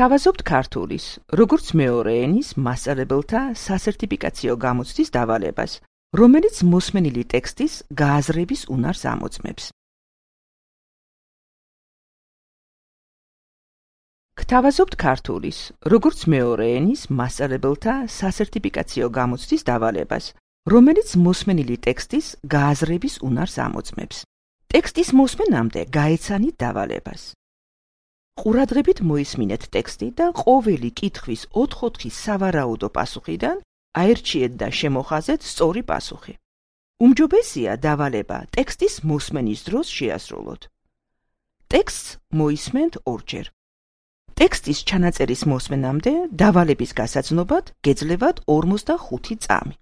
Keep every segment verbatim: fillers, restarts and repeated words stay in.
გთავაზობთ ქართულის, როგორც მეორე ენის მასწავლებელთა სასერტიფიკაციო გამოცდის დავალებას, რომელიც მოსმენილი ტექსტის გააზრების უნარს ამოწმებს. გთავაზობთ ქართულის, როგორც მეორე ენის მასწავლებელთა სასერტიფიკაციო გამოცდის დავალებას, რომელიც მოსმენილი ტექსტის გააზრების უნარს ამოწმებს. ტექსტის მოსმენამდე გაეცანით დავალებას. ყურადღებით მოისმინეთ ტექსტი და ყოველი კითხვის ოთხ-ოთხი სავარაუდო პასუხიდან აერჩიეთ და შემოხაზეთ სწორი პასუხი. უმჯობესია დავალება ტექსტის მოსმენის დროს შეასრულოთ. ტექსტს მოისმენთ ორჯერ. ტექსტის ჩანაწერის მოსმენამდე დავალების გასაცნობად გეძლევათ ორმოცდახუთი წამი.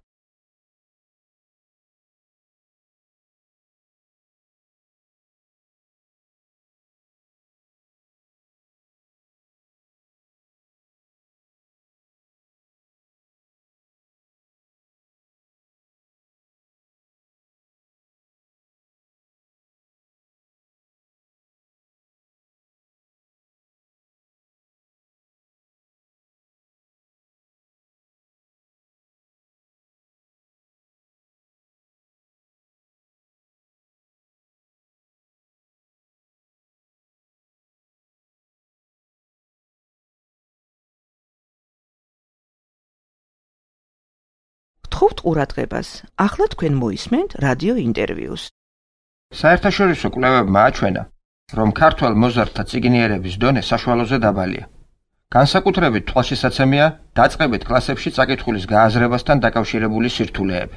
გთხოვთ ყურადღებას, ახლა თქვენ მოისმენთ რადიო ინტერვიუს. საერთაშორისო კვლევებმა აჩვენა, რომ ქართველ მოზარდთა წიგნიერების დონე საშუალოზე დაბალია. განსაკუთრებით თვალშესაცემია დაწყებით კლასებში წაკითხulis გააზრებასთან დაკავშირებული სირთულეები.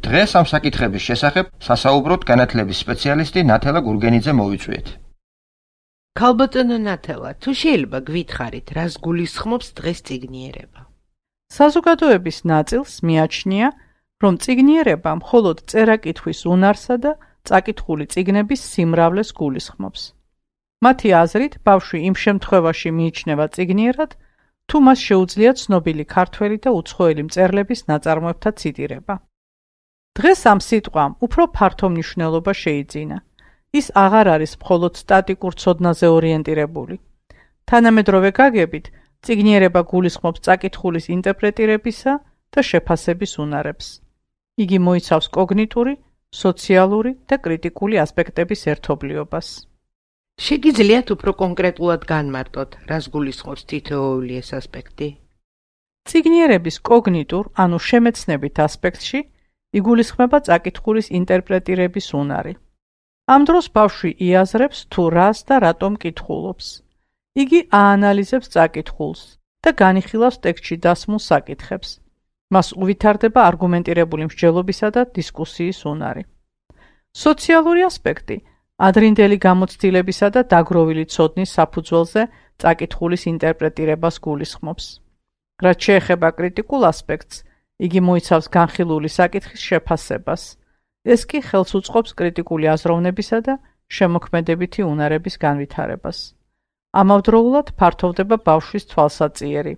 დღეს ამ საკითხების შესახებ სასაუბროთ განათლების სპეციალისტი ნათელა გურგენიძე მოვიწვიეთ. ქალბატონო ნათელა, თუ შეიძლება გვითხრით, რას გულისხმობს დღეს წიგნიერება? საზოგადოების ნაწილს მიაჩნია, რომ წიგნიერება მხოლოდ წერა-კითხვის უნარსა და წაკითხული წიგნების სიმრავლეს გულისხმობს. მათი აზრით, ბავშვი იმ შემთხვევაში მიიჩნევა წიგნიერად, თუ მას შეუძლია ცნობილი ქართველი და უცხოელი მწერლების ნაწარმოებთა ციტირება. დღეს ამ სიტყვამ უფრო ფართო მნიშვნელობა შეიძინა. ის აღარ არის მხოლოდ სტატიკურ ცოდნაზე ორიენტირებული. თანამედროვე გაგებით, წიგნიერება გულისხმობს წაკითხulis ინტერპრეტირებისა და შეფასების უნარებს. იგი მოიცავს კოგნიტური, სოციალური და კრიტიკული ასპექტების ერთობლიობას. შეგიძლიათ უფრო კონკრეტულად განმარტოთ, რას გულისხმობს თითოეული ეს ასპექტი? წიგნიერების კოგნიტურ, ანუ შემეცნებით ასპექტში იგულისხმება წაკითხulis ინტერპრეტირების უნარი. ამ დროს ბავშვი იაზრებს თუ რას და რატომ კითხულობს. იგი აანალიზებს წაკითხულს და განიხილავს ტექსტში დასმულ საკითხებს. მას უვითარდება არგუმენტირებული მსჯელობისა და დისკუსიის უნარი. სოციალური ასპექტი ადრინდელი გამოცდილებისა და დაგროვილი ცოდნის საფუძველზე წაკითხulis ინტერპრეტირებას გულისხმობს. რაც შეეხება კრიტიკულ ასპექტს, იგი მოიცავს განხილული საკითხის შეფასებას. ეს კი ხელს უწყობს კრიტიკული აზროვნებისა და შემოქმედებითი უნარების განვითარებას. ამავდროულად ფართოვდება ბავშვის თვალსაწიერი.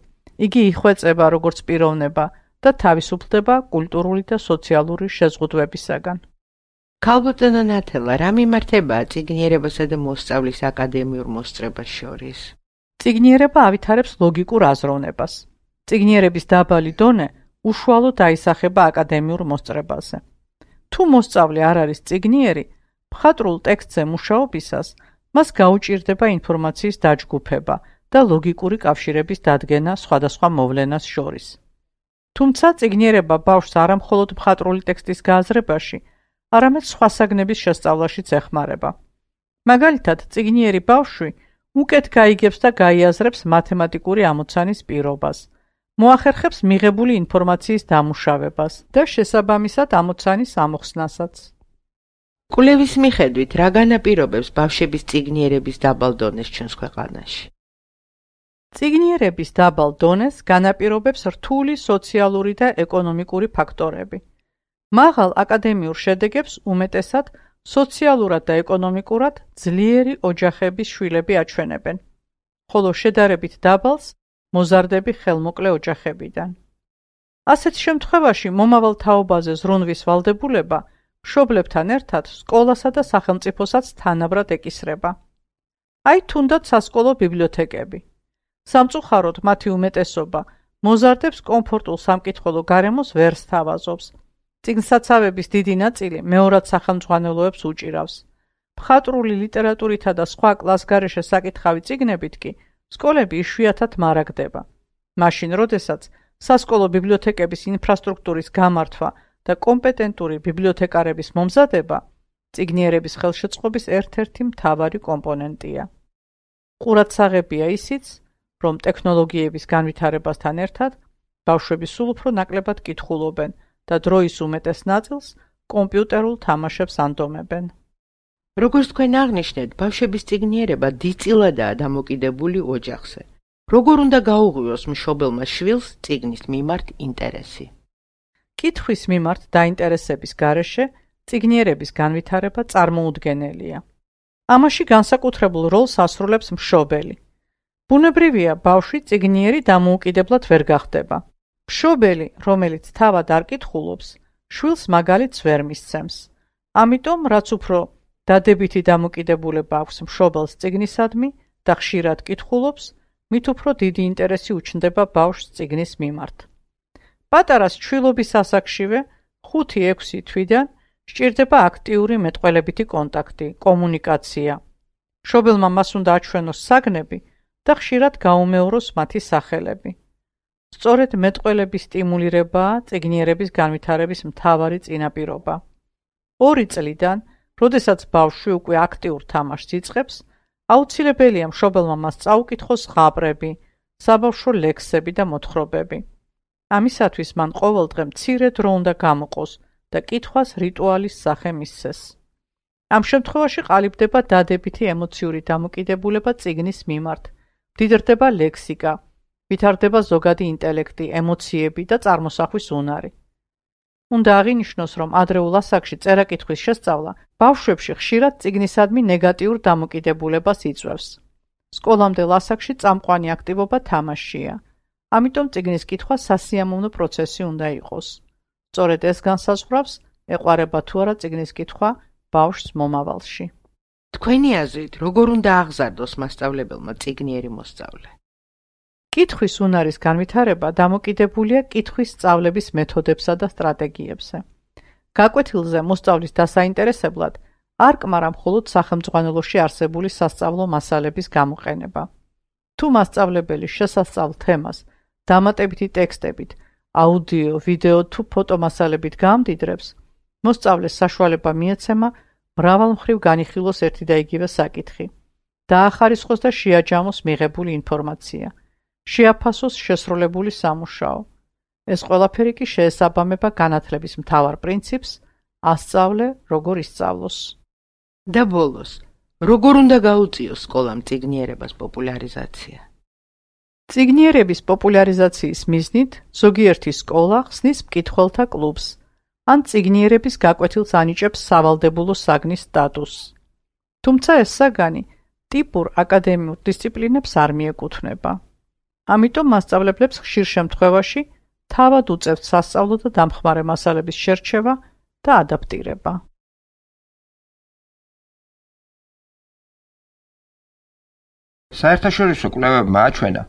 იგი იხვეწება როგორც პიროვნება და თავისუფლდება კულტურული და სოციალური შეზღუდვებისაგან. ქალბატონო ნათელა, რა მიმართებაა წიგნიერებასა და მოსწავლის აკადემიურ მოსწრებას შორის? წიგნიერება ავითარებს ლოგიკურ აზროვნებას. წიგნიერების დაბალი დონე უშუალოდ აისახება აკადემიურ მოსწრებაზე. თუ მოსწავლე არ არის წიგნიერი, მხატვრულ ტექსტზე მუშაობისას მას გაუჭირდება ინფორმაციის დაჯგუფება და ლოგიკური კავშირების დადგენა სხვადასხვა მოვლენას შორის. თუმცა წიგნიერება ბავშვს არა მხოლოდ მხატვრული ტექსტის გააზრებაში, არამედ სხვა საგნების შესწავლაშიც ეხმარება. მაგალითად, წიგნიერი ბავშვი უკეთ გაიგებს და გაიაზრებს მათემატიკური ამოცანის პირობას, მოახერხებს მიღებული ინფორმაციის დამუშავებას და შესაბამისად ამოცანის ამოხსნასაც. კვლევის მიხედვით, რა განაპირობებს ბავშვების წიგნიერების დაბალ დონეს ჩვენს ქვეყანაში? წიგნიერების დაბალ დონეს განაპირობებს რთული სოციალური და ეკონომიკური ფაქტორები. მაღალ აკადემიურ შედეგებს უმეტესად სოციალურად და ეკონომიკურად ძლიერი ოჯახების შვილები აჩვენებენ, ხოლო შედარებით დაბალს მოზარდები ხელმოკლე ოჯახებიდან. ასეთ შემთხვევაში მომავალ თაობაზე ზრუნვის ვალდებულება მშობლებთან ერთად სკოლასა და სახელმწიფოსაც თანაბრად ეკისრება. აი თუნდაც სასკოლო ბიბლიოთეკები. სამწუხაროდ მათი უმეტესობა მოზარდებს კომფორტულ სამკითხველო გარემოს ვერ სთავაზობს. წიგნსაცავების დიდი ნაწილი მეორად სახელმძღვანელოებს უჭირავს. მხატვრული ლიტერატურითა და სხვა კლასგარეშე საკითხავი წიგნებით კი სკოლები იშვიათად მარაგდება. მაშინ, როდესაც სასკოლო ბიბლიოთეკების ინფრასტრუქტურის გამართვა და კომპეტენტური ბიბლიოთეკარების მომზადება წიგნიერების ხელშეწყობის ერთ-ერთი მთავარი კომპონენტია. ყურადსაღებია ისიც, რომ ტექნოლოგიების განვითარებასთან ერთად ბავშვები სულ უფრო ნაკლებად კითხულობენ და დროის უმეტეს ნაწილს კომპიუტერულ თამაშებს ანდომებენ. როგორც თქვენ აღნიშნეთ, ბავშვების წიგნიერება დიდწილადაა დამოკიდებული ოჯახზე. როგორ უნდა გაუღვიოს მშობელმა შვილს წიგნის მიმართ ინტერესი? კითხვის მიმართ დაინტერესების გარეშე წიგნიერების განვითარება წარმოუდგენელია. ამაში განსაკუთრებულ როლს ასრულებს მშობელი. ბუნებრივია, ბავშვი წიგნიერი დამოუკიდებლად ვერ გახდება. მშობელი, რომელიც თავად არ კითხულობს, შვილს მაგალითს ვერ მისცემს. ამიტომ, რაც უფრო დადებითი დამოკიდებულება აქვს მშობელს წიგნისადმი და ხშირად კითხულობს, მით უფრო დიდი ინტერესი უჩნდება ბავშვს წიგნის მიმართ. პატარას ჩვილობის ასაკშივე ხუთი ექვსი თვიდან სჭირდება აქტიური მეტყველებითი კონტაქტი, კომუნიკაცია. მშობელმა მას უნდა აჩვენოს საგნები და ხშირად გაუმეოროს მათი სახელები. სწორედ მეტყველების სტიმულირებაა წიგნიერების განვითარების მთავარი წინაპირობა. ორი წლიდან, როდესაც ბავშვი უკვე აქტიურ თამაშს იწყებს, აუცილებელია მშობელმა მას წაუკითხოს ზღაპრები, საბავშვო ლექსები და მოთხრობები. ამისათვის მან ყოველდღე მცირე დრო უნდა გამოყოს და კითხვას რიტუალის სახე მისცეს. ამ შემთხვევაში ყალიბდება დადებითი ემოციური დამოკიდებულება წიგნის მიმართ, მდიდრდება ლექსიკა, ვითარდება ზოგადი ინტელექტი, ემოციები და წარმოსახვის უნარი. უნდა აღინიშნოს, რომ ადრეულ ასაკში წერა-კითხვის შესწავლა ბავშვებში ხშირად წიგნისადმი ნეგატიურ დამოკიდებულებას იწვევს. სკოლამდელ ასაკში წამყვანი აქტივობა თამაშია, ამიტომ წიგნის კითხვა სასიამოვნო პროცესი უნდა იყოს. სწორედ ეს განსაზღვრავს, ეყვარება თუ არა წიგნის კითხვა ბავშვს მომავალში. თქვენი აზრით, როგორ უნდა აღზარდოს მასწავლებელმა წიგნიერი მოსწავლე? კითხვის უნარის განვითარება დამოკიდებულია კითხვის სწავლების მეთოდებსა და სტრატეგიებზე. გაკვეთილზე მოსწავლის დასაინტერესებლად არ კმარა მხოლოდ სახელმძღვანელოში არსებული სასწავლო მასალების გამოყენება. თუ მასწავლებელი შესასწავლ თემას დამატებითი ტექსტებით, აუდიო, ვიდეო თუ ფოტომასალებით გაამდიდრებს, მოსწავლეს საშუალება მიეცემა მრავალმხრივ განიხილოს ერთი და იგივე საკითხი, დაახარისხოს და შეაჯამოს მიღებული ინფორმაცია, შეაფასოს შესრულებული სამუშაო. ეს ყველაფერი კი შეესაბამება განათლების მთავარ პრინციპს, ასწავლე, როგორ ისწავლოს. და ბოლოს, როგორ უნდა გაუწიოს სკოლამ წიგნიერებას პოპულარიზაცია? წიგნიერების პოპულარიზაციის მიზნით ზოგიერთი სკოლა ხსნის მკითხველთა კლუბს, ან წიგნიერების გაკვეთილს ანიჭებს სავალდებულო საგნის სტატუსს. თუმცა ეს საგანი ტიპურ აკადემიურ დისციპლინებს არ მიეკუთვნება. ამიტომ მასწავლებლებს ხშირ შემთხვევაში თავად უწევთ სასწავლო და დამხმარე მასალების შერჩევა და ადაპტირება. საერთაშორისო კვლევებმა აჩვენა,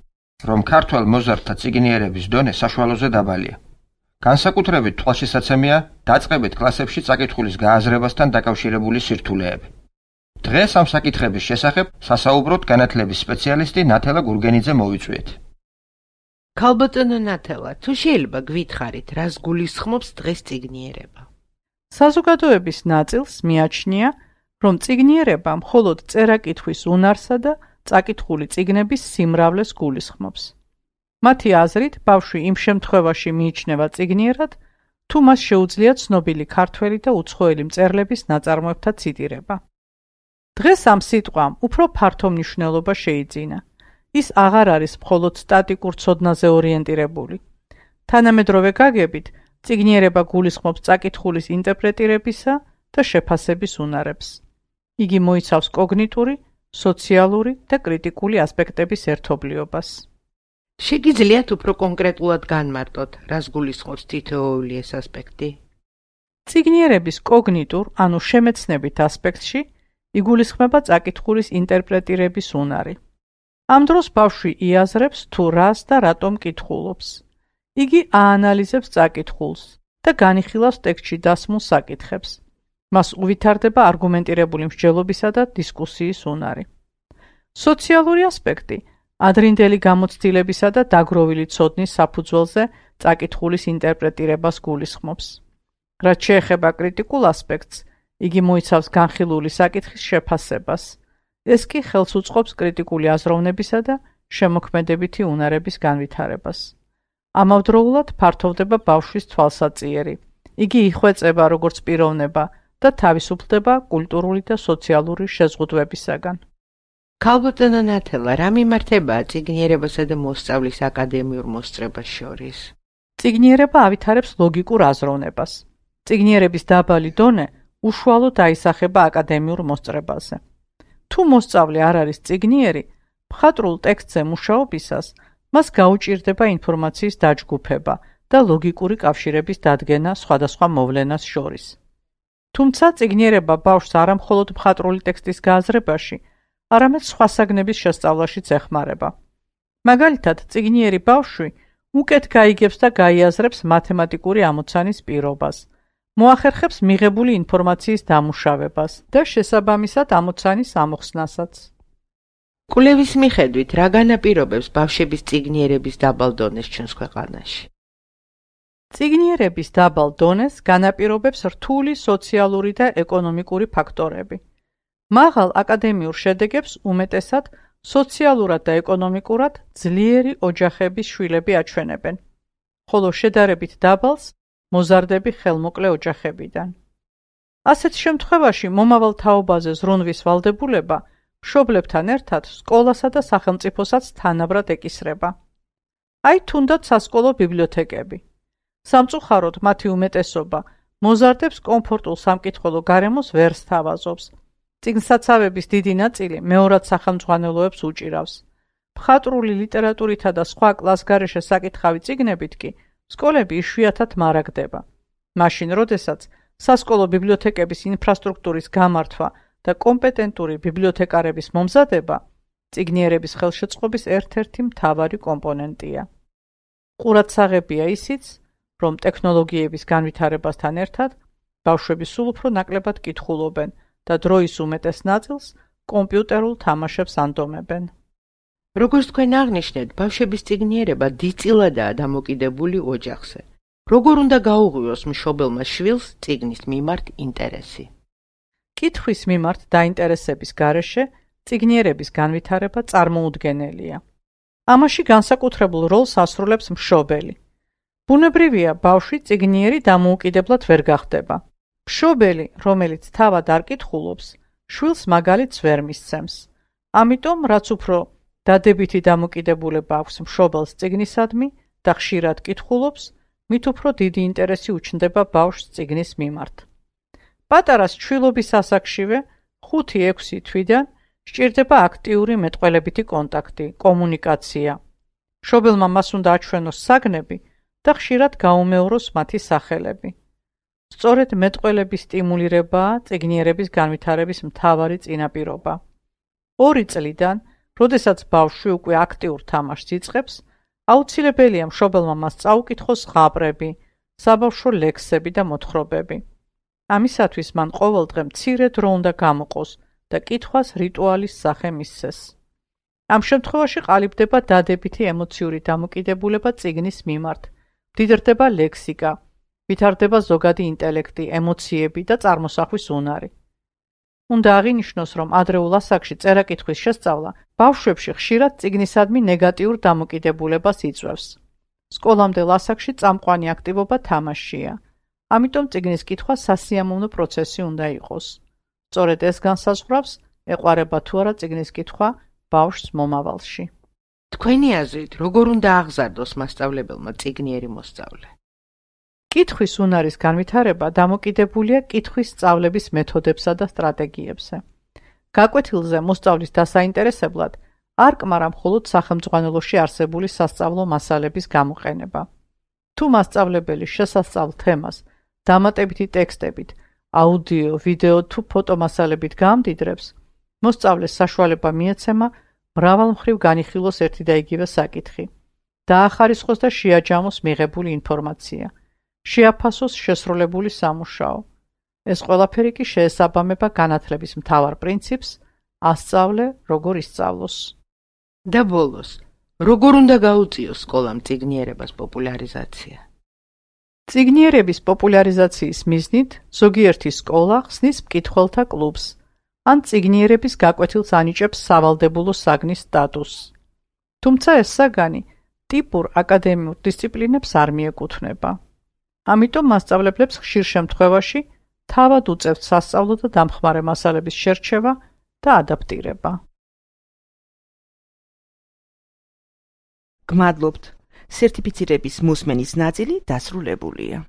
რომ ქართველ მოზარდთა წიგნიერების დონე საშუალოზე დაბალია. განსაკუთრებით თვალშესაცემია დაწყებით კლასებში წაკითხulis გააზრებასთან დაკავშირებული სირთულეები. დღეს ამ საკითხების შესახებ სასაუბროთ განათლების სპეციალისტი ნათელა გურგენიძე მოვიწვიეთ. ქალბატონო ნათელა, თუ შეიძლება გვითხრით, რას გულისხმობს დღეს წიგნიერება? საზოგადოების ნაწილს მიაჩნია, რომ წიგნიერება მხოლოდ წერა-კითხვის უნარსა და წაკითხული წიგნების სიმრავლეს გულისხმობს. მათი აზრით, ბავშვი იმ შემთხვევაში მიიჩნევა წიგნიერად, თუ მას შეუძლია ცნობილი ქართველი და უცხოელი მწერლების ნაწარმოებთა ციტირება. დღეს ამ სიტყვამ უფრო ფართო მნიშვნელობა შეიძინა. ის აღარ არის მხოლოდ სტატიკურ ცოდნაზე ორიენტირებული. თანამედროვე გაგებით, წიგნიერება გულისხმობს წაკითხulis ინტერპრეტირებისა და შეფასების უნარებს. იგი მოიცავს კოგნიტური, სოციალური და კრიტიკული ასპექტების ერთობლიობას. შეგიძლიათ უფრო კონკრეტულად განმარტოთ, რას გულისხმობს თითოეული ეს ასპექტი? წიგნიერების კოგნიტურ, ანუ შემეცნებით ასპექტში იგულისხმება წაკითხulis ინტერპრეტირების უნარი. ამ დროს ბავშვი იაზრებს თუ რას და რატომ კითხულობს. იგი აანალიზებს წაკითხულს და განიხილავს ტექსტში დასმულ საკითხებს. მას უვითარდება არგუმენტირებული მსჯელობისა და დისკუსიის უნარი. სოციალური ასპექტი ადრინდელი გამოცდილებისა და დაგროვილი ცოდნის საფუძველზე წაკითხულის ინტერპრეტირებას გულისხმობს. რაც შეეხება კრიტიკულ ასპექტს, იგი მოიცავს განხილული საკითხის შეფასებას. ეს კი ხელს უწყობს კრიტიკული აზროვნებისა და შემოქმედებითი უნარების განვითარებას. ამავდროულად ფართოვდება ბავშვის თვალსაწიერი. იგი იხვეწება როგორც პიროვნება და თავისუფლდება კულტურული და სოციალური შეზღუდვებისაგან. ქალბატონო ნათელა, რა მიმართებაა წიგნიერებასა და მოსწავლის აკადემიურ მოსწრებას შორის? წიგნიერება ავითარებს ლოგიკურ აზროვნებას. წიგნიერების დაბალი დონე უშუალოდ აისახება აკადემიურ მოსწრებაზე. თუ მოსწავლე არ არის წიგნიერი, მხატვრულ ტექსტზე მუშაობისას მას გაუჭირდება ინფორმაციის დაჯგუფება და ლოგიკური კავშირების დადგენა სხვადასხვა მოვლენას შორის. თუმცა წიგნიერება ბავშვს არა მხოლოდ მხატვრული ტექსტის გააზრებაში, არამედ სხვა საგნების შესწავლაშიც ეხმარება. მაგალითად, წიგნიერი ბავშვი უკეთ გაიგებს და გაიაზრებს მათემატიკური ამოცანის პირობას, მოახერხებს მიღებული ინფორმაციის დამუშავებას და შესაბამისად ამოცანის ამოხსნასაც. კვლევის მიხედვით, რა განაპირობებს ბავშვების წიგნიერების დაბალ დონეს ჩვენს ქვეყანაში? წიგნიერების დაბალ დონეს განაპირობებს რთული სოციალური და ეკონომიკური ფაქტორები. მაღალ აკადემიურ შედეგებს უმეტესად სოციალურად და ეკონომიკურად ძლიერი ოჯახების შვილები აჩვენებენ, ხოლო შედარებით დაბალს მოზარდები ხელმოკლე ოჯახებიდან. ასეთ შემთხვევაში მომავალ თაობაზე ზრუნვის ვალდებულება მშობლებთან ერთად სკოლასა და სახელმწიფოსაც თანაბრად ეკისრება. აი თუნდაც სასკოლო ბიბლიოთეკები. სამწუხაროდ მათი უმეტესობა მოზარდებს კომფორტულ სამკითხველო გარემოს ვერ სთავაზობს. წიგნსაცავების დიდი ნაწილი მეორად სახელმძღვანელოებს უჭირავს. მხატვრული ლიტერატურითა და სხვა კლასგარეშე საკითხავი წიგნებით კი სკოლები იშვიათად მარაგდება. მაშინ, როდესაც სასკოლო ბიბლიოთეკების ინფრასტრუქტურის გამართვა და კომპეტენტური ბიბლიოთეკარების მომზადება წიგნიერების ხელშეწყობის ერთ-ერთი მთავარი კომპონენტია. ყურადსაღებია ისიც, რომ ტექნოლოგიების განვითარებასთან ერთად ბავშვები სულ უფრო ნაკლებად კითხულობენ და დროის უმეტეს ნაწილს კომპიუტერულ თამაშებს ანდომებენ. როგორც თქვენ აღნიშნეთ, ბავშვების წიგნიერება დიდწილადაა დამოკიდებული ოჯახზე. როგორ უნდა გაუღვიოს მშობელმა შვილს წიგნის მიმართ ინტერესი? კითხვის მიმართ დაინტერესების გარეშე წიგნიერების განვითარება წარმოუდგენელია. ამაში განსაკუთრებულ როლს ასრულებს მშობელი. ბუნებრივია, ბავშვი წიგნიერი დამოუკიდებლად ვერ გახდება. მშობელი, რომელიც თავად არ კითხულობს, შვილს მაგალითს ვერ მისცემს. ამიტომ, რაც უფრო დადებითი დამოკიდებულება აქვს მშობელს წიგნისადმი და ხშირად კითხულობს, მით უფრო დიდი ინტერესი უჩნდება ბავშვს წიგნის მიმართ. პატარას ჩვილობის ასაკშივე ხუთი-ექვსი თვიდან სჭირდება აქტიური მეტყველებითი კონტაქტი, კომუნიკაცია. მშობელმა მას უნდა აჩვენოს საგნები და ხშირად გაუმეოროს მათი სახელები. სწორედ მეტყველების სტიმულირებაა წიგნიერების განვითარების მთავარი წინაპირობა. ორი წლიდან, როდესაც ბავშვი უკვე აქტიურ თამაშს იწყებს, აუცილებელია მშობელმა მას წაუკითხოს ზღაპრები, საბავშვო ლექსები და მოთხრობები. ამისათვის მან ყოველდღე მცირე დრო უნდა გამოყოს და კითხვას რიტუალის სახე მისცეს. ამ შემთხვევაში ყალიბდება დადებითი ემოციური დამოკიდებულება წიგნის მიმართ, მდიდრდება ლექსიკა, ვითარდება ზოგადი ინტელექტი, ემოციები და წარმოსახვის უნარი. უნდა აღინიშნოს, რომ ადრეულ ასაკში წერა-კითხვის შესწავლა ბავშვებში ხშირად წიგნისადმი ნეგატიურ დამოკიდებულებას იწვევს. სკოლამდელ ასაკში წამყვანი აქტივობა თამაშია. ამიტომ წიგნის კითხვა სასიამოვნო პროცესი უნდა იყოს. სწორედ ეს განსაზღვრავს, ეყვარება თუ არა წიგნის კითხვა ბავშვს მომავალში. თქვენი აზრით, როგორ უნდა აღზარდოს მასწავლებელმა წიგნიერი მოსწავლე? კითხვის უნარის განვითარება დამოკიდებულია კითხვის სწავლების მეთოდებსა და სტრატეგიებზე. გაკვეთილზე მოსწავლის დასაინტერესებლად არ კმარა მხოლოდ სახელმძღვანელოში არსებული სასწავლო მასალების გამოყენება. თუ მასწავლებელი შესასწავლ თემას დამატებითი ტექსტებით, აუდიო, ვიდეო თუ ფოტო მასალებით გაამდიდრებს, მოსწავლეს საშუალება მიეცემა მრავალმხრივ განიხილოს ერთი და იგივე საკითხი, დაახარისხოს და შეაჯამოს მიღებული ინფორმაცია, შეაფასოს შესრულებული სამუშაო. ეს ყველაფერი კი შეესაბამება განათლების მთავარ პრინციპს, ასწავლე, როგორ ისწავლოს. და ბოლოს, როგორ უნდა გაუწიოს სკოლამ წიგნიერებას პოპულარიზაცია? წიგნიერების პოპულარიზაციის მიზნით ზოგიერთი სკოლა ხსნის მკითხველთა კლუბს, ან წიგნიერების გაკვეთილს ანიჭებს სავალდებულო საგნის სტატუსს. თუმცა ეს საგანი ტიპურ აკადემიურ დისციპლინებს არ მიეკუთვნება. ამიტომ მასწავლებლებს ხშირ შემთხვევაში თავად უწევთ სასწავლო და დამხმარე მასალების შერჩევა და ადაპტირება. გმადლობთ. სერტიფიცირების მოსმენის ნაწილი დასრულებულია.